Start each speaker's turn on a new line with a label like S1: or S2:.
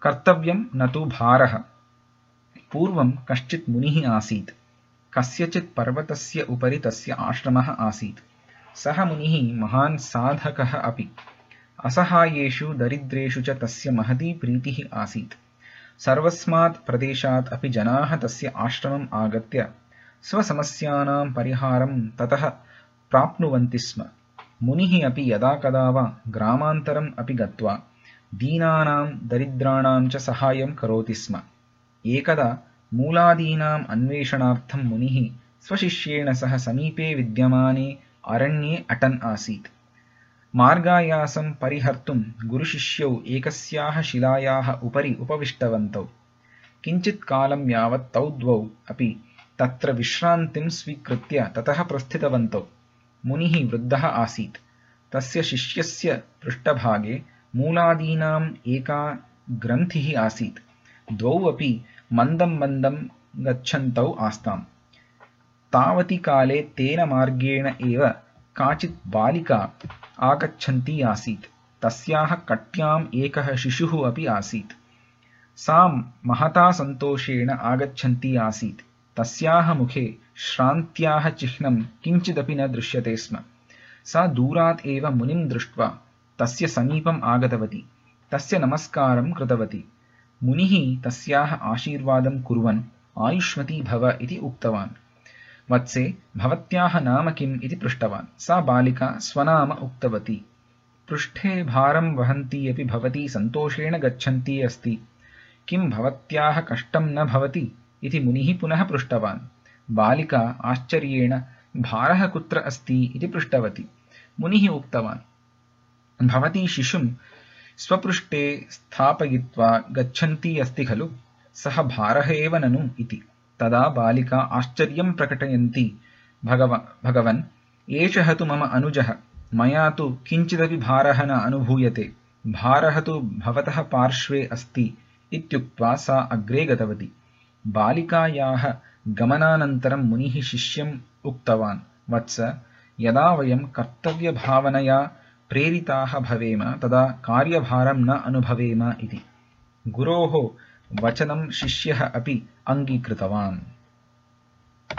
S1: कर्तव्यं न तु भारः। पूर्वं कश्चित् मुनिः आसीत्। कस्यचित् पर्वतस्य उपरि तस्य आश्रमः आसीत्। सः मुनिः महान् साधकः अपि। असहायेषु दरिद्रेषु च तस्य महती प्रीतिः आसीत्। सर्वस्मात् प्रदेशात् अपि जनाः तस्य आश्रमम् आगत्य स्वसमस्यानां परिहारं ततः प्राप्नुवन्ति स्म। मुनिः अपि यदा कदा वा ग्रामान्तरम् अपि गत्वा दीनानां दरिद्राणां च सहायं करोति स्म। एकदा मूलादीनाम् अन्वेषणार्थं मुनिः स्वशिष्येण सह समीपे विद्यमाने अरण्ये अटन् आसीत्। मार्गायासं परिहर्तुं गुरुशिष्यौ एकस्याः शिलायाः उपरि उपविष्टवन्तौ। किञ्चित् कालं यावत् तौ द्वौ अपि तत्र विश्रान्तिं स्वीकृत्य ततः प्रस्थितवन्तौ। मुनिः वृद्धः आसीत्। तस्य शिष्यस्य पृष्ठभागे मूलादीनाम् एका ग्रन्थिः आसीत्। द्वौ अपि मन्दं मन्दं गच्छन्तौ आस्ताम्। तावति काले तेन मार्गेण एव काचित् बालिका आगच्छन्ती आसीत्। तस्याः कट्याम् एकः शिशुः अपि आसीत्। सा महता सन्तोषेण आगच्छन्ती आसीत्। तस्याः मुखे श्रान्त्याः चिह्नं किञ्चिदपि न दृश्यते स्म। सा दूरात् एव मुनिं दृष्ट्वा तस्य समीपम् आगतवती। तस्य नमस्कारं कृतवती। मुनिः तस्याः आशीर्वादं कुर्वन् आयुष्मती भव इति उक्तवान्। वत्से, भवत्याः नाम किम् इति पृष्टवान्। सा बालिका स्वनाम उक्तवती। पृष्ठे भारं वहन्ती अपि भवती सन्तोषेण गच्छन्ती अस्ति। किं भवत्याः कष्टं न भवति इति मुनिः पुनः पृष्टवान्। बालिका आश्चर्येण भारः कुत्र अस्ति इति पृष्टवती। मुनिः उक्तवान्, भवती शिशुं स्वपृष्ठे स्थापयित्वा गच्छन्ती अस्ति खलु, सः भारः एव ननु इति। तदा बालिका आश्चर्यं प्रकटयन्ती, भगवन्, एषः तु मम अनुजः। मया तु किञ्चिदपि भारः न अनुभूयते। भारः तु भवतः पार्श्वे अस्ति इत्युक्त्वा सा अग्रे गतवती। बालिकायाः गमनानन्तरं मुनिः शिष्यम् उक्तवान्, वत्स, यदा वयं कर्तव्यभावनया प्रेरिताः भवेम तदा कार्यभारं न अनुभवेम इति। गुरोः वचनं शिष्यः अपि अङ्गीकृतवान्।